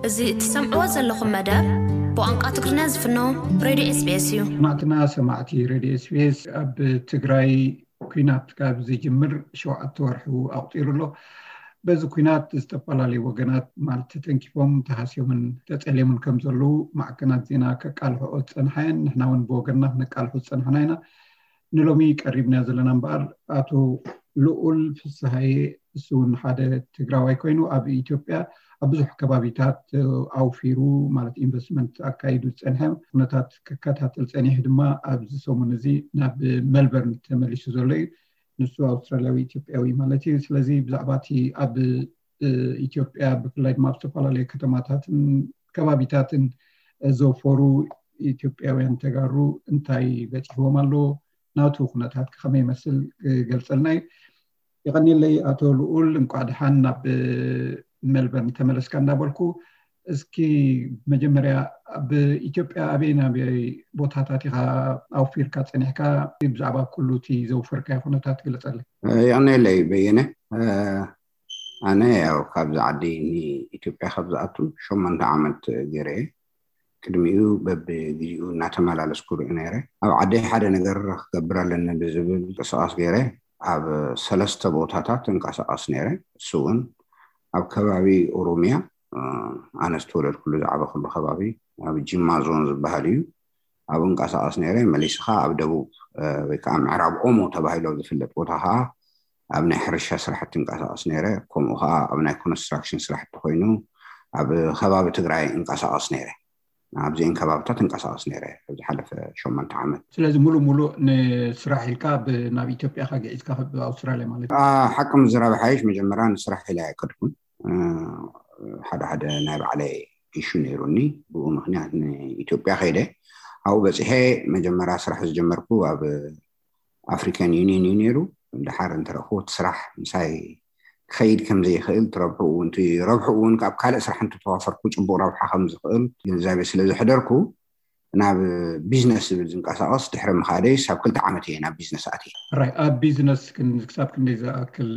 እዚ እትሰምዕዎ ዘለኹም መደብ ብቋንቋ ትግርኛ ዝፍኖ ሬድዮ ኤስቢኤስ እዩ። ሰማዕትና ሰማዕቲ ሬድዮ ኤስቢኤስ፣ ኣብ ትግራይ ኲናት ካብ ዝጅምር ሸውዓተ ወርሑ ኣቑፂሩ ኣሎ። በዚ ኲናት ዝተፈላለዩ ወገናት ማለት ተተንኪፎም ተሃስዮምን ተፀልዮምን ከም ዘለዉ ማዕከናት ዜና ከቃልሕኦ ዝፀንሓ እየን። ንሕና እውን ብወገንና ክነቃልሖ ዝፀንሓና ኢና። ንሎሚ ቀሪብና ዘለና እምበኣር ኣቶ ልኡል ፍስሃየ፣ እሱ እውን ሓደ ትግራዋይ ኮይኑ ኣብ ኢትዮጵያ ኣብ ብዙሕ ከባቢታት ኣውፊሩ ማለት ኢንቨስትመንት ኣካይዱ ዝፀንሐ ኩነታት ክከታተል ፀኒሑ ድማ ኣብዚ ሰሙን እዚ ናብ መልበርን ተመሊሱ ዘሎ እዩ። ንሱ ኣውስትራልያዊ ኢትዮጵያዊ ማለት እዩ። ስለዚ ብዛዕባ እቲ ኣብ ኢትዮጵያ ብፍላይ ድማ ኣብ ዝተፈላለዩ ከተማታትን ከባቢታትን ዘውፈሩ ኢትዮጵያውያን ተጋሩ እንታይ በፂሕዎም ኣሎ፣ ናቱ ኩነታት ከመይ ይመስል ክገልፀልና እዩ። የቐንየለይ ኣቶ ልኡል፣ እንቋዕ ደሓን ናብ ሜልበርን ተመለስካ እንዳበልኩ፣ እስኪ መጀመርያ ኣብ ኢትዮጵያ ኣበይ ናበይ ቦታታት ኢኻ ኣውፊርካ ጸኒሕካ? ብዛዕባ ኩሉ እቲ ዘውፈርካዮ ኩነታት ግለጸለይ። የቐንየለይ በየነ። ኣነ ያው ካብዚ ዓዲ ንኢትዮጵያ ካብ ዝኣቱ ሸሞንተ ዓመት ገይረ እየ። ቅድሚኡ በብግዜኡ እናተመላለስኩ ርኢ ነይረ። ኣብ ዓደይ ሓደ ነገር ክገብር ኣለኒ ብዝብል ምንቅስቓስ ገይረ ኣብ ሰለስተ ቦታታት እንቀሳቐስ ነይረ። እሱ እውን ኣብ ከባቢ ኦሮሚያ፣ ኣነ ዝተወለድኩሉ ዝዓበኹሉ ከባቢ ኣብ ጅማ ዞን ዝበሃል እዩ። ኣብኡ እንቀሳቐስ ነይረ። መሊስኻ ኣብ ደቡብ ወይ ከዓ ምዕራብ ኦሞ ተባሂሉ ኣብ ዝፍለጥ ቦታ ከዓ ኣብ ናይ ሕርሻ ስራሕቲ እንቀሳቐስ ነይረ። ከምኡ ከዓ ኣብ ናይ ኮንስትራክሽን ስራሕቲ ኮይኑ ኣብ ከባቢ ትግራይ እንቀሳቐስ ነይረ። ኣብዚአን ከባብታት እንቀሳቐስ ነይረ ኣብ ዝሓለፈ ሸሞንተ ዓመት። ስለዚ ሙሉእ ሙሉእ ንስራሕ ኢልካ ናብ ኢትዮጵያ ካ ግዒዝካ ኣብ ኣውስትራልያ ማለት እዩ? ሓቂ ምዝራብ ሓይሽ፣ መጀመርያ ንስራሕ ኢለ ኣይከድኩን። ሓደ ሓደ ናይ ባዕለይ ኢሹ ነይሩኒ። ብኡ ምክንያት ንኢትዮጵያ ከይደ ኣብኡ በፂሐ። መጀመርያ ስራሕ ዝጀመርኩ ኣብ ኣፍሪካን ዩኒየን እዩ ነይሩ። ድሓር እንተረእኹ እቲ ስራሕ ምሳይ ክኸይድ ከም ዘይኽእል፣ እቲ ረብሑ እውን፣ እቲ ረብሑ እውን ካብ ካልእ ስራሕ እንተተዋፈርኩ ፅቡቕ ረብሓ ከም ዝኽእል ግንዛቤ ስለ ዘሕደርኩ ናብ ቢዝነስ ዝብል ዝንቀሳቐስ ድሕሪ ምኻደይ ሳብ ክልተ ዓመት እየ ናብ ቢዝነስ ኣትየ። ራይ ኣብ ቢዝነስ ክሳብ ክንደይ ዝኣክል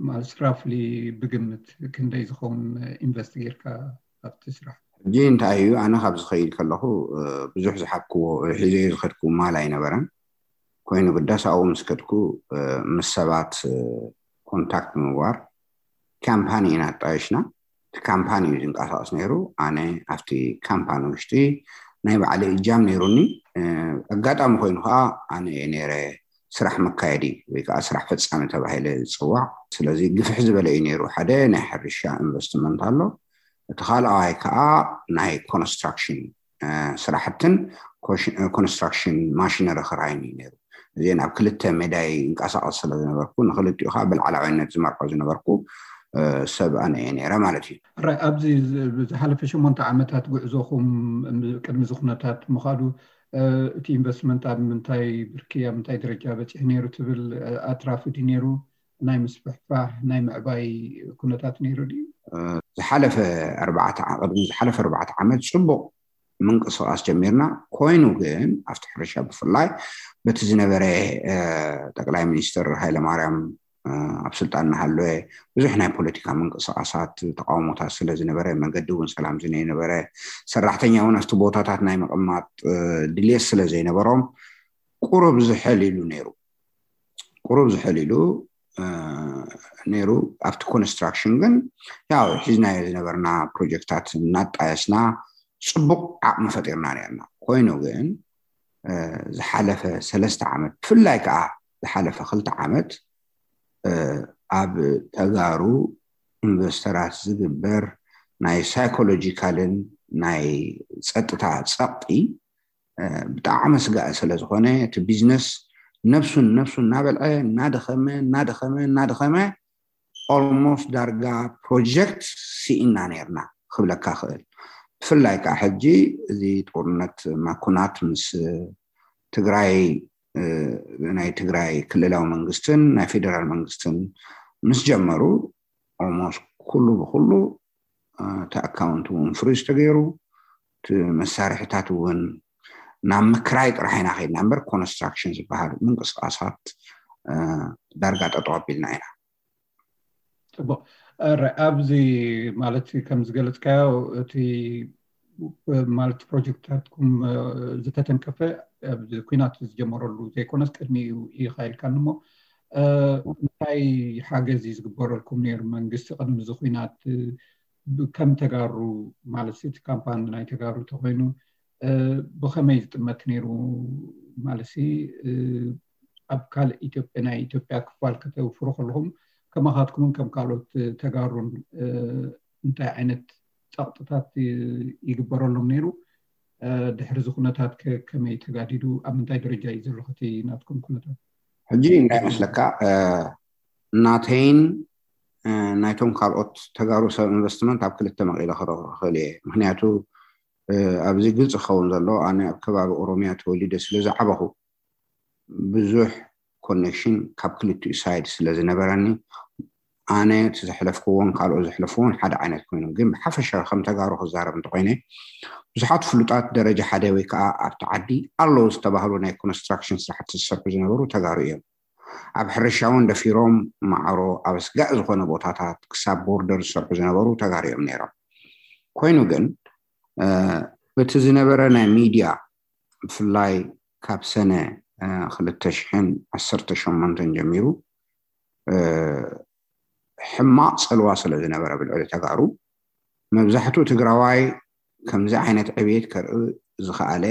ማለት ራፍሊ ብግምት ክንደይ ዝኸውን ኢንቨስት ጌርካ ኣብቲ ስራሕ? ሕጂ እንታይ እዩ፣ ኣነ ካብ ዝኸይድ ከለኹ ብዙሕ ዝሓብክዎ ሒዘዮ ዝኸድኩ ማል ኣይነበረን። ኮይኑ ግዳስ ኣብኡ ምስ ከድኩ ምስ ሰባት ኮንታክት ምግባር፣ ካምፓኒ ኢና ኣጣየሽና። እቲ ካምፓኒ እዩ ዝንቀሳቐስ ነይሩ። ኣነ ኣብቲ ካምፓኒ ውሽጢ ናይ ባዕለይ እጃም ነይሩኒ። ኣጋጣሚ ኮይኑ ከዓ ኣነ እየ ነይረ ስራሕ መካየዲ ወይ ከዓ ስራሕ ፈፃሚ ተባሂለ ዝፅዋዕ። ስለዚ ግፍሕ ዝበለ እዩ ነይሩ። ሓደ ናይ ሕርሻ ኢንቨስትመንት ኣሎ። እቲ ካልኣዋይ ከዓ ናይ ኮንስትራክሽን ስራሕትን ኮንስትራክሽን ማሽነሪ ክራይን እዩ ነይሩ። እዚአን ኣብ ክልተ ሜዳይ እንቀሳቐስ ስለ ዝነበርኩ ንክልቲኡ ከዓ ብላዕላዋይነት ዝመርሖ ዝነበርኩ ሰብ ኣነ እየ ነይረ ማለት እዩ። ራይ ኣብዚ ዝሓለፈ ሸሞንተ ዓመታት ጉዕዞኹም ቅድሚ እዚ ኩነታት ምኻዱ እቲ ኢንቨስትመንት ኣብ ምንታይ ብርኪ ኣብ ምንታይ ደረጃ በፂሑ ነይሩ ትብል? ኣትራፊ ድዩ ነይሩ? ናይ ምስፍሕፋሕ ናይ ምዕባይ ኩነታት ነይሩ ድዩ? ዝሓለፈ ኣርባዕተ ዓ- ቅድሚ ዝሓለፈ ኣርባዕተ ዓመት ፅቡቕ ምንቅስቓስ ጀሚርና። ኮይኑ ግን ኣብቲ ሕርሻ ብፍላይ በቲ ዝነበረ ጠቅላይ ሚኒስትር ሃይለማርያም ኣብ ስልጣን እናሃለወ ብዙሕ ናይ ፖለቲካ ምንቅስቓሳት ተቃውሞታት ስለ ዝነበረ፣ መገዲ እውን ሰላም ዝነበረ፣ ሰራሕተኛ እውን ኣብቲ ቦታታት ናይ ምቕማጥ ድልየት ስለ ዘይነበሮም ቁሩብ ዝሕል ኢሉ ነይሩ። ቁሩብ ዝሕል ኢሉ ነይሩ። ኣብቲ ኮንስትራክሽን ግን ያው ሒዝናዮ ዝነበርና ፕሮጀክታት እናጣየስና ፅቡቕ ዓቕሚ ፈጢርና ነርና። ኮይኑ ግን ዝሓለፈ ሰለስተ ዓመት፣ ብፍላይ ከዓ ዝሓለፈ ክልተ ዓመት ኣብ ተጋሩ ኢንቨስተራት ዝግበር ናይ ሳይኮሎጂካልን ናይ ፀጥታ ፀቕጢ ብጣዕሚ ስጋእ ስለ ዝኾነ፣ እቲ ቢዝነስ ነብሱን ነብሱን እናበልዐ እናደኸመ እናደኸመ እናደኸመ ኦልሞስት ዳርጋ ፕሮጀክት ስኢና ነርና ክብለካ ክእል። ብፍላይ ከዓ ሕጂ እዚ ጦርነት ማኩናት ምስ ትግራይ ናይ ትግራይ ክልላዊ መንግስትን ናይ ፌደራል መንግስትን ምስ ጀመሩ ኦልሞስት ኩሉ ብኩሉ እቲ ኣካውንት እውን ፍሪዝ ተገይሩ፣ እቲ መሳርሕታት እውን ናብ ምክራይ ጥራሕ ኢና ከይድና እምበር ኮንስትራክሽን ዝበሃል ምንቅስቃሳት ዳርጋ ጠጠው ኣቢልና ኢና። ፅቡቅ። ኣብዚ ማለት ከም ዝገለፅካዮ እቲ ማለት ፕሮጀክትታትኩም ዝተተንከፈ ኣብዚ ኩናት ዝጀመረሉ ዘይኮነስ ቅድሚኡ ኢኻ ኢልካኒ እሞ እንታይ ሓገዝ እዩ ዝግበረልኩም ነይሩ መንግስቲ ቅድሚ እዚ ኩናት ከም ተጋሩ ማለት እቲ ካምፓኒ ናይ ተጋሩ ተኮይኑ ብከመይ ዝጥመት ነይሩ ማለት ኣብ ካልእ ኢትዮጵያ ናይ ኢትዮጵያ ክፋል ከተውፍሩ ከለኹም ከማኻትኩምን ከም ካልኦት ተጋሩን እንታይ ዓይነት ጸቕጥታት ይግበረሎም ነይሩ? ድሕሪ እዚ ኩነታት ከመይ ተጋዲዱ ኣብ ምንታይ ደረጃ እዩ ዘሎ እቲ ናትኩም ኩነታት? ሕጂ እንታይ መስለካ ናተይን ናይቶም ካልኦት ተጋሩ ሰብ ኢንቨስትመንት ኣብ ክልተ መቒለ ክረኽሮ ክኽእል እየ። ምክንያቱ ኣብዚ ግልፂ ክኸውን ዘሎ ኣነ ኣብ ከባቢ ኦሮሚያ ተወሊደ ስለ ዝዓበኹ ብዙሕ ኮኔክሽን ካብ ክልቲኡ ሳይድ ስለ ዝነበረኒ ኣነ እቲ ዘሕለፍክዎን ካልኦት ዘሕለፍዎን ሓደ ዓይነት ኮይኖም ግን ብሓፈሻ ከም ተጋሩ ክዛረብ እንተኮይነ ብዙሓት ፍሉጣት ደረጃ ሓደ ወይ ከዓ ኣብቲ ዓዲ ኣለዉ ዝተባህሉ ናይ ኮንስትራክሽን ስራሕቲ ዝሰርሑ ዝነበሩ ተጋሩ እዮም። ኣብ ሕርሻ እውን ደፊሮም ማዕሮ ኣብ ኣስጋእ ዝኾነ ቦታታት ክሳብ ቦርደር ዝሰርሑ ዝነበሩ ተጋሩ እዮም ነይሮም። ኮይኑ ግን በቲ ዝነበረ ናይ ሚድያ ብፍላይ ካብ ሰነ ክልተ ሽሕን ዓሰርተ ሸሞንተን ጀሚሩ ሕማቕ ፀልዋ ስለ ዝነበረ ብልዕሊ ተጋሩ መብዛሕትኡ ትግራዋይ ከምዚ ዓይነት ዕብየት ከርኢ ዝኸኣለ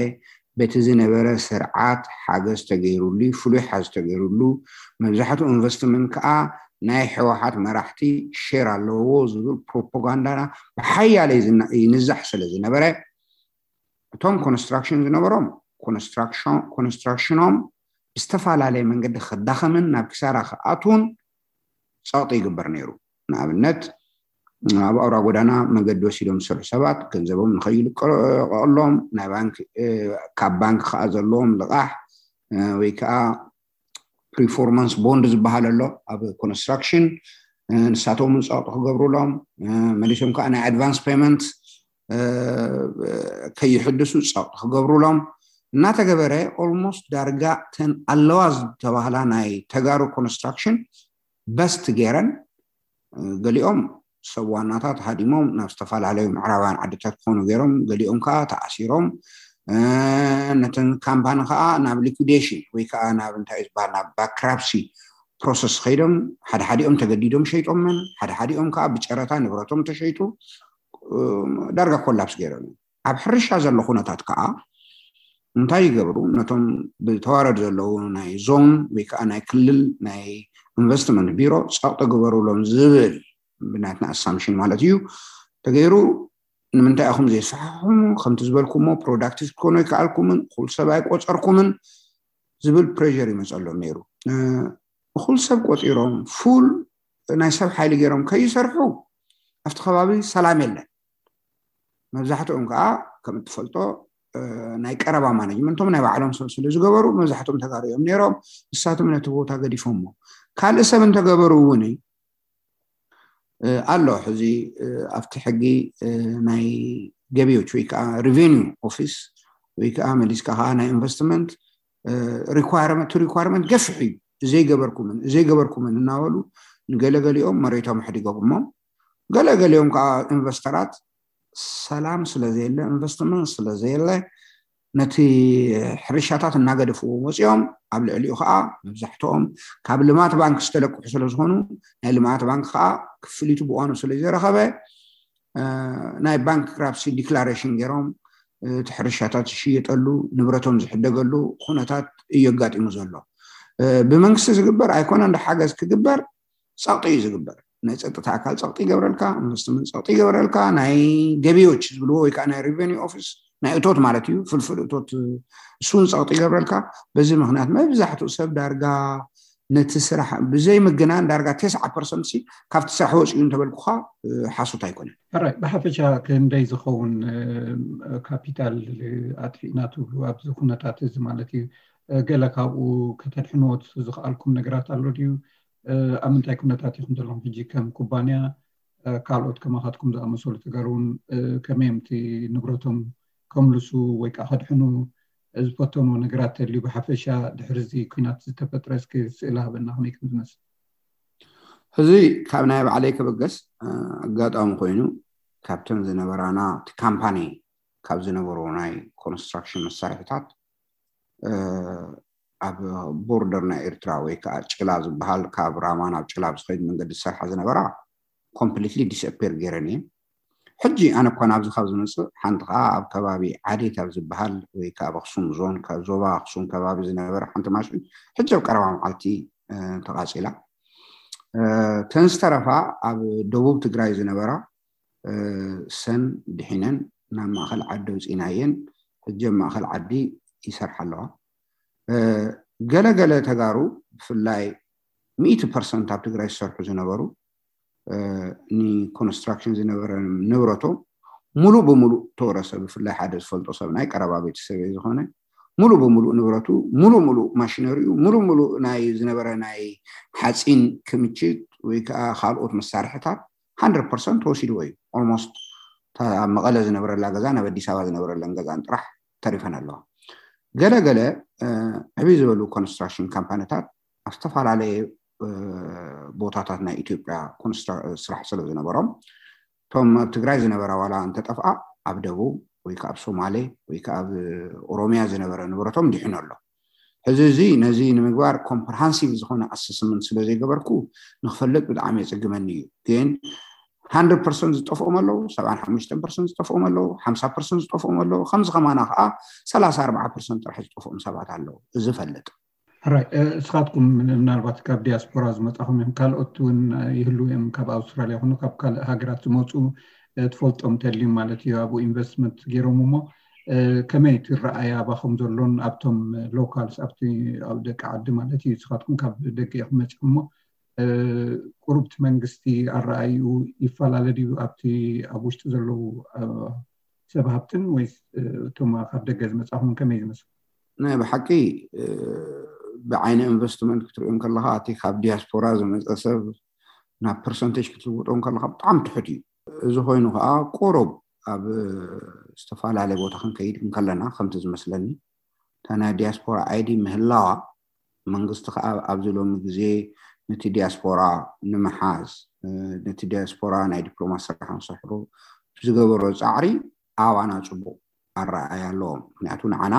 በቲ ዝነበረ ስርዓት ሓገዝ ተገይሩሉ ፍሉይ ሓዝ ተገይሩሉ መብዛሕትኡ ኢንቨስትመንት ከዓ ናይ ሕወሓት መራሕቲ ሼር ኣለዎ ዝብል ፕሮፓጋንዳ ብሓያለ ይንዛሕ ስለ ዝነበረ እቶም ኮንስትራክሽን ዝነበሮም ኮንስትራክሽኖም ብዝተፈላለየ መንገዲ ክዳኸምን ናብ ክሳራ ክኣትውን ፀቕጢ ይግበር ነይሩ። ንኣብነት ኣብ ኣውራ ጎዳና መገዲ ወሲዶም ዝሰርሑ ሰባት ገንዘቦም ንኸይልቀቐሎም ናይ ባንክ ካብ ባንክ ከዓ ዘለዎም ልቓሕ ወይ ከዓ ፕሪፎርማንስ ቦንድ ዝበሃል ኣሎ ኣብ ኮንስትራክሽን ንሳቶም እውን ፀቕጢ ክገብሩሎም መሊሶም ከዓ ናይ ኣድቫንስ ፔመንት ከይሕድሱ ፀቕጢ ክገብሩሎም እናተገበረ ኦልሞስት ዳርጋ ተን ኣለዋ ዝተባህላ ናይ ተጋሩ ኮንስትራክሽን በስት ገይረን ገሊኦም ሰብ ዋናታት ሃዲሞም ናብ ዝተፈላለዩ ምዕራባውያን ዓድታት ክኾኑ ገይሮም ገሊኦም ከዓ ተኣሲሮም ነተን ካምፓኒ ከዓ ናብ ሊኩዴሽን ወይ ከዓ ናብ እንታይ ዝበሃል ናብ ባንክራፕሲ ፕሮሰስ ከይዶም ሓደ ሓዲኦም ተገዲዶም ሸይጦመን ሓደ ሓዲኦም ከዓ ብጨረታ ንብረቶም ተሸይጡ ዳርጋ ኮላፕስ ገይሮም እዮም። ኣብ ሕርሻ ዘሎ ኩነታት ከዓ እንታይ ይገብሩ ነቶም ብተዋረድ ዘለዉ ናይ ዞን ወይ ከዓ ናይ ክልል ናይ ኢንቨስትመንት ቢሮ ፀቕጢ ግበሩሎም ዝብል ብናትና ኣሳምሽን ማለት እዩ ተገይሩ ንምንታይ ኢኹም ዘይሰሓሕሙ ከምቲ ዝበልኩሞ ፕሮዳክቲቭ ክትኮኑ ኣይከኣልኩምን እኹል ሰብ ኣይቆፀርኩምን ዝብል ፕሬር ይመፀሎም ነይሩ። እኹል ሰብ ቆፂሮም ፉል ናይ ሰብ ሓይሊ ገይሮም ከይሰርሑ ኣብቲ ከባቢ ሰላም የለን። መብዛሕትኦም ከዓ ከም እትፈልጦ ናይ ቀረባ ማነጅመንቶም ናይ ባዕሎም ሰብ ስለ ዝገበሩ መብዛሕትኦም ተጋሩ እዮም ነይሮም። ንሳቶም ነቲ ቦታ ገዲፎሞ ካልእ ሰብ እንተገበሩ እውን ኣሎ ሕዚ ኣብቲ ሕጊ ናይ ገቢዎች ወይ ከዓ ሪቨኒው ኦፊስ ወይ ከዓ መሊስካ ከዓ ናይ ኢንቨስትመንት ሪኳርመንት ሪኳርመንት ገፍሕ እዩ። እዘይገበርኩምን እዘይገበርኩምን እናበሉ ንገለገሊኦም መሬቶም ኣሕዲጎምዎም ገለገሊኦም ከዓ ኢንቨስተራት ሰላም ስለዘየለ ኢንቨስትመንት ስለዘየለ ነቲ ሕርሻታት እናገደፍዎ ወፂኦም ኣብ ልዕሊኡ ከዓ መብዛሕትኦም ካብ ልማት ባንክ ዝተለቅሑ ስለዝኾኑ ናይ ልማት ባንክ ከዓ ክፍሊቱ ብዋኑ ስለዘይረኸበ ናይ ባንክራፕሲ ዲክላሬሽን ገይሮም እቲ ሕርሻታት ዝሽየጠሉ ንብረቶም ዝሕደገሉ ኩነታት እዩ ኣጋጢሙ ዘሎ። ብመንግስቲ ዝግበር ኣይኮነን ሓገዝ ክግበር ፀቕጢ እዩ ዝግበር። ናይ ፀጥታ ኣካል ፀቕጢ ይገብረልካ፣ ኢንቨስትመንት ፀቕጢ ይገብረልካ፣ ናይ ገቢዎች ዝብልዎ ወይ ከዓ ናይ ሪቨኒ ኦፊስ ናይ እቶት ማለት እዩ ፍልፍል እቶት እሱን ፀቕጢ ይገብረልካ። በዚ ምክንያት መብዛሕትኡ ሰብ ዳርጋ ነቲ ስራሕ ብዘይ ምግናን ዳርጋ ተስዓ ፐርሰንት ሲ ካብቲ ስራሕ ወፂኡ እንተበልኩካ ሓሶት ኣይኮነን። ሕራይ ብሓፈሻ ክንደይ ዝኸውን ካፒታል ኣጥፊእና ትብሉ ኣብዚ ኩነታት እዚ ማለት እዩ? ገለ ካብኡ ከተድሕንዎ ዝኽኣልኩም ነገራት ኣሎ ድዩ? ኣብ ምንታይ ኩነታት ኢኹም ዘለኹም ሕጂ ከም ኩባንያ? ካልኦት ከማኻትኩም ዝኣመሰሉ ተጋሩ እውን ከመይ እዮም እቲ ንብረቶም ከምልሱ ወይ ከዓ ከድሕኑ ዝፈተንዎ ነገራት ተልዩ ብሓፈሻ ድሕሪ እዚ ኩናት ዝተፈጥረ እስኪ ስእሊ ሃበና ከመይ ከም ዝመስል? ሕዚ ካብ ናይ ባዕለይ ክብገስ ኣጋጣሚ ኮይኑ ካብተን ዝነበራና እቲ ካምፓኒ ካብ ዝነበሩ ናይ ኮንስትራክሽን መሳርሒታት ኣብ ቦርደር ናይ ኤርትራ ወይ ከዓ ጭላ ዝበሃል ካብ ራማ ናብ ጭላ ብዝኸይድ መንገዲ ዝሰርሓ ዝነበራ ኮምፕሊትሊ ዲስኣፔር ገይረን እየን። ሕጂ ኣነ እኳ ናብዚ ካብ ዝመፅእ ሓንቲ ከዓ ኣብ ከባቢ ዓዴት ኣብ ዝበሃል ወይ ከዓ ኣብ ኣክሱም ዞን ዞባ ኣክሱም ከባቢ ዝነበረ ሓንቲ ማሽን ሕጂ ኣብ ቀረባ መዓልቲ ተቃፂላ። ተን ዝተረፋ ኣብ ደቡብ ትግራይ ዝነበራ ሰን ድሒነን ናብ ማእኸል ዓዲ ኣውፂናየን ሕጂ ኣብ ማእኸል ዓዲ ይሰርሓ ኣለዋ። ገለገለ ተጋሩ ብፍላይ ሚእቲ ፐርሰንት ኣብ ትግራይ ዝሰርሑ ዝነበሩ ንኮንስትራክሽን ዝነበረ ንብረቶም ሙሉእ ብሙሉእ ተወረሰ። ብፍላይ ሓደ ዝፈልጦ ሰብ ናይ ቀረባ ቤተሰብ ዝኾነ ሙሉእ ብሙሉእ ንብረቱ ሙሉእ ሙሉእ ማሽነሪኡ ሙሉእ ሙሉእ ናይ ዝነበረ ናይ ሓፂን ክምችት ወይ ከዓ ካልኦት መሳርሕታት ሃንድረድ ፐርሰንት ተወሲድዎ እዩ። ኦልሞስት ኣብ መቐለ ዝነበረላ ገዛ ናብ ኣዲስ ኣበባ ዝነበረለን ገዛን ጥራሕ ተሪፈን ኣለዋ። ገለገለ ዕብይ ዝበሉ ኮንስትራክሽን ካምፓኒታት ኣብ ዝተፈላለየ ቦታታት ናይ ኢትዮጵያ ስራሕ ስለ ዝነበሮም እቶም ኣብ ትግራይ ዝነበራ ዋላ እንተጠፍኣ ኣብ ደቡብ ወይ ከዓ ኣብ ሶማሌ ወይ ከዓ ኣብ ኦሮሚያ ዝነበረ ንብረቶም ድሒኑ ኣሎ። ሕዚ እዚ ነዚ ንምግባር ኮምፕርሃንሲቭ ዝኾነ ኣሰስመንት ስለ ዘይገበርኩ ንክፈልጥ ብጣዕሚ የፅግመኒ እዩ። ግን ሃንድረድ ፐርሰንት ዝጠፍኦም ኣለዉ፣ ሰብዓን ሓሙሽተን ፐርሰንት ዝጠፍኦም ኣለዉ፣ ሓምሳ ፐርሰንት ዝጠፍኦም ኣለዉ። ከምዚ ከማና ከዓ ሰላሳ ኣርባዓ ፐርሰንት ጥራሕ ዝጠፍኦም ሰባት ኣለዉ። እዚ ፈልጥ ሕራይ እስኻትኩም ምናልባት ካብ ዲያስፖራ ዝመፃኹም እዮም፣ ካልኦት እውን ይህልዉ እዮም፣ ካብ ኣውስትራሊያ ይኹኑ ካብ ካልእ ሃገራት ዝመፁ ትፈልጦም ተልዩ ማለት እዩ። ኣብኡ ኢንቨስትመንት ገይሮም እሞ ከመይ ትረኣያ ኣባኹም ዘሎን ኣብቶም ሎካልስ ኣብቲ ኣብ ደቂ ዓዲ ማለት እዩ። እስኻትኩም ካብ ደገ ኢኹም መፂኹም እሞ ቁሩብቲ መንግስቲ ኣረኣይኡ ይፈላለ ድዩ ኣብቲ ኣብ ውሽጢ ዘለዉ ሰብ ሃብትን ወይስ እቶም ካብ ደገ ዝመፃኹም ከመይ ዝመስሉ? ናይ ብሓቂ ብዓይኒ ኢንቨስትመንት ክትሪኦ ከለካ እቲ ካብ ዲያስፖራ ዝመፀ ሰብ ናብ ፐርሰንቴጅ ክትልውጦ ከለካ ብጣዕሚ ትሑት እዩ። እዚ ኮይኑ ከዓ ቁሩብ ኣብ ዝተፈላለየ ቦታ ክንከይድ እንከለና ከምቲ ዝመስለኒ እታ ናይ ዲያስፖራ ኣይዲ ምህላዋ መንግስቲ ከዓ ኣብዚ ሎሚ ግዜ ነቲ ዲያስፖራ ንምሓዝ ነቲ ዲያስፖራ ናይ ዲፕሎማሲ ስራሕ ንሰሕሩ ዝገበሮ ፃዕሪ ኣባና ፅቡቅ ኣረኣያ ኣለዎም። ምክንያቱ ንዓና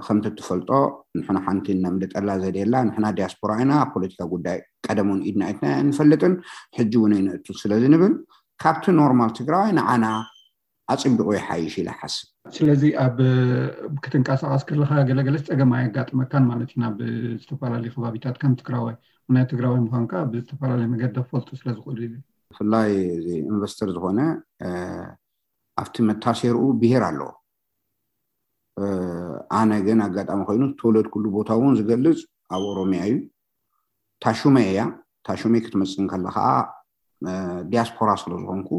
ከምቲ እትፈልጦ ንሕና ሓንቲ ነምልጠላ ዘድየላ ንሕና ዲያስፖራ ኢና፣ ፖለቲካ ጉዳይ ቀደሙን ኢድና ኢትና ንፈልጥን ሕጂ እውን ኣይነእቱ ስለዚ ንብል ካብቲ ኖርማል ትግራዋይ ንዓና ኣፅቢቑ ይሓይሽ ኢለ ሓስብ። ስለዚ ኣብ ክትንቀሳቐስ ከለካ ገለገለስ ፀገም ኣየጋጥመካን ማለት እዩ ናብ ዝተፈላለዩ ከባቢታት ከም ትግራዋይ ናይ ትግራዋይ ምኳንካ ብዝተፈላለየ መገዲ ክፈልጡ ስለዝኽእሉ እዩ። ብፍላይ እዚ ኢንቨስተር ዝኾነ ኣብቲ መታሰሪኡ ብሄር ኣለዎ። ኣነ ግን ኣጋጣሚ ኮይኑ ዝተወለድኩሉ ቦታ እውን ዝገልፅ ኣብ ኦሮሚያ እዩ። ታሹመ እያ። ታሹመ ክትመፅእ እንከላ ከዓ ዲያስፖራ ስለዝኾንኩ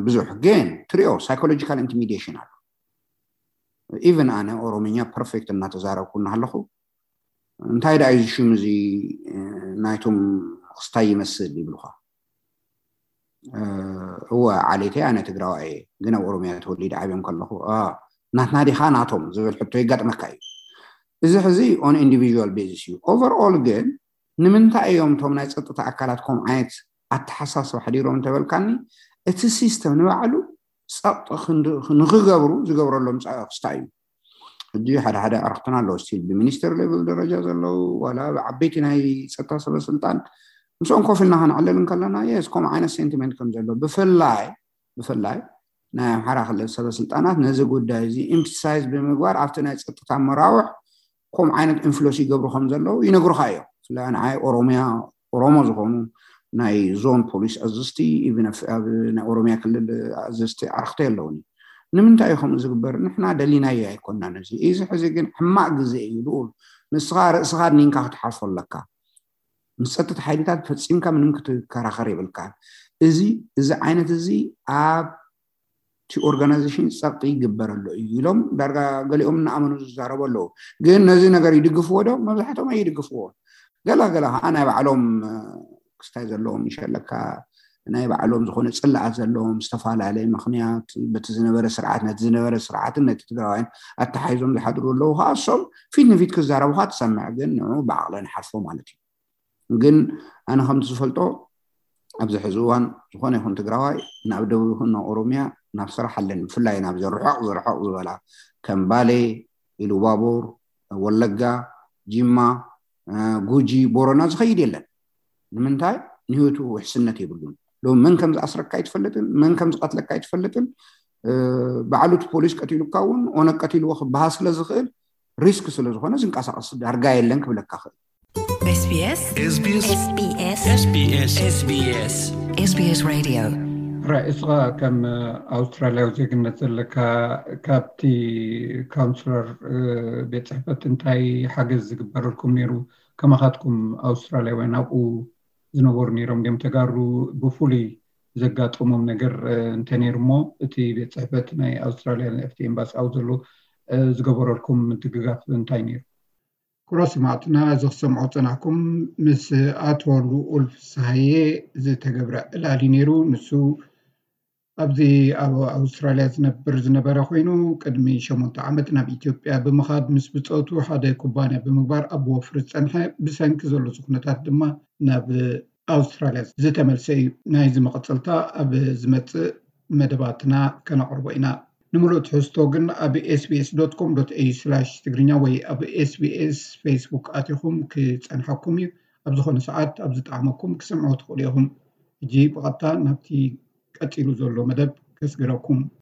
ብዙሕ ግን ትሪኦ ሳይኮሎጂካል ኢንቲሚዴሽን ኣሎ። ኢቨን ኣነ ኦሮምኛ ፐርፌክት እናተዛረብኩ እናሃለኹ እንታይ ደኣ እዚ ሽም እዚ ናይቶም ክስታይ ይመስል ይብልኻ። እወ ዓሌተይ ኣነ ትግራዋይ እየ፣ ግን ኣብ ኦሮምያ ተወሊደ ዓብዮም ከለኹ ናትና ዲኻ ናቶም ዝብል ሕቶ የጋጥመካ እዩ። እዚ ሕዚ ኦን ኢንዲቪዥዋል ቤዚስ እዩ። ኦቨርኦል ግን ንምንታይ እዮም እቶም ናይ ፀጥታ ኣካላት ከምኡ ዓይነት ኣተሓሳስባ ሓዲሮም እንተበልካኒ እቲ ሲስተም ንባዕሉ ፀቕጢ ንክገብሩ ዝገብረሎም ክስታይ እዩ። ሕጂ ሓደ ሓደ ኣረክትና ኣለዉ ስቲል ብሚኒስተር ሌቭል ደረጃ ዘለዉ ዋላ ብዓበይቲ ናይ ፀጥታ ሰበስልጣን ምስኦም ኮፍ ኢልና ከነዕልል እንከለና የስ ከምኡ ዓይነት ሴንቲመንት ከም ዘሎ ብፍላይ ብፍላይ ናይ ኣምሓራ ክልል ሰበስልጣናት ነዚ ጉዳይ እዚ ኢምፕሳይዝ ብምግባር ኣብቲ ናይ ፀጥታ መራውሕ ከምኡ ዓይነት ኢንፍሉንስ ይገብሩ ከም ዘለዉ ይነግሩካ እዮም። ብፍላይ ንዓይ ኦሮሚያ ኦሮሞ ዝኾኑ ናይ ዞን ፖሊስ ኣዘዝቲ ኢቭን ኣብ ናይ ኦሮሚያ ክልል ኣዘዝቲ ኣረክቲ ኣለዉኒ። ንምንታይ እዩ ከምኡ ዝግበር? ንሕና ደሊናዮ ኣይኮናን። እዚ እዚ ሕዚ ግን ሕማቅ ግዜ እዩ ልኡል። ንስኻ ርእስኻ ኣድኒንካ ክትሓልፎ ኣለካ። ምስ ፀጥታ ሓይልታት ፈፂምካ ምንም ክትከራኸር የብልካን። እዚ እዚ ዓይነት እዚ ኣብ እቲ ኦርጋናይዜሽን ፀቕጢ ይግበር ኣሎ እዩ ኢሎም ዳርጋ ገሊኦም እናኣመኑ ዝዛረቡ ኣለዉ። ግን ነዚ ነገር ይድግፍዎ ዶ? መብዛሕትኦም ኣይድግፍዎን። ገላ ገላ ከዓ ናይ ባዕሎም ክስታይ ዘለዎም ይሸለካ ናይ ባዕሎም ዝኾነ ፅላኣት ዘለዎም ዝተፈላለየ ምክንያት በቲ ዝነበረ ስርዓት ነቲ ዝነበረ ስርዓትን ነቲ ትግራዋይን ኣተሓሒዞም ዝሓድሩ ኣለዉ ከዓ እሶም ፊት ንፊት ክዛረቡካ ትሰምዕ ግን ንዑ ብዓቕለ ንሓልፎ ማለት እዩ። ግን ኣነ ከምቲ ዝፈልጦ ኣብዚ ሕዚ እዋን ዝኾነ ይኹን ትግራዋይ ናብ ደቡብ ይኹን ናብ ኦሮሚያ ናብ ስራሕ ኣለን። ብፍላይ ናብዚ ርሑቕ ዝርሑቕ ዝበላ ከም ባሌ፣ ኢሉባቡር፣ ወለጋ፣ ጂማ፣ ጉጂ፣ ቦረና ዝኸይድ የለን። ንምንታይ? ንህይወቱ ውሕስነት የብሉን። ሎ መን ከም ዝኣስረካ ኣይትፈልጥን፣ መን ከም ዝቐትለካ ኣይትፈልጥን። ባዕሉ እቲ ፖሊስ ቀቲሉካ እውን ኦነግ ቀቲልዎ ክበሃል ስለ ዝኽእል፣ ሪስክ ስለ ዝኾነ ዝንቀሳቐስ ዳርጋ የለን ክብለካ ክእል። SBS SBS SBS SBS SBS Radio። ራይ እስኻ ከም ኣውስትራልያዊ ዜግነት ዘለካ ካብቲ ካውንስለር ቤት ጽሕፈት እንታይ ሓገዝ ዝግበረልኩም ነይሩ? ከማኻትኩም ኣውስትራልያውያን ኣብኡ ዝነበሩ ነይሮም ድዮም ተጋሩ ብፍሉይ ዘጋጠሞም ነገር እንተ ነይሩ እሞ እቲ ቤት ጽሕፈት ናይ ኣውስትራልያ ኣብቲ ኤምባሲ ኣብኡ ዘሎ ዝገበረልኩም ምድግጋፍ እንታይ ነይሩ? ክቡራት ሰማዕትና እዚ ክሰምዖ ዝጸናሕኩም ምስ ኣቶ ልኡል ፍስሃየ ዝተገብረ ዕላል እዩ ነይሩ። ንሱ ኣብዚ ኣብ ኣውስትራልያ ዝነብር ዝነበረ ኮይኑ ቅድሚ ሸሞንተ ዓመት ናብ ኢትዮጵያ ብምኻድ ምስ ብጾቱ ሓደ ኩባንያ ብምግባር ኣብ ወፍሪ ዝጸንሐ ብሰንኪ ዘሎ ኩነታት ድማ ናብ ኣውስትራልያ ዝተመልሰ እዩ። ናይዚ መቐጸልታ ኣብ ዝመጽእ መደባትና ከነቕርቦ ኢና። ንምሉእ ትሕዝቶ ግን ኣብ sbs.com.au/ትግርኛ ወይ ኣብ SBS Facebook ኣቲኹም ክጸንሓኩም እዩ። ኣብ ዝኾነ ሰዓት ኣብ ዝጠዓመኩም ክሰምዕዎ ትኽእሉ ኢኹም። ሕጂ ብቐጥታ ናብቲ ቀጺሉ ዘሎ መደብ ከስግረኩም።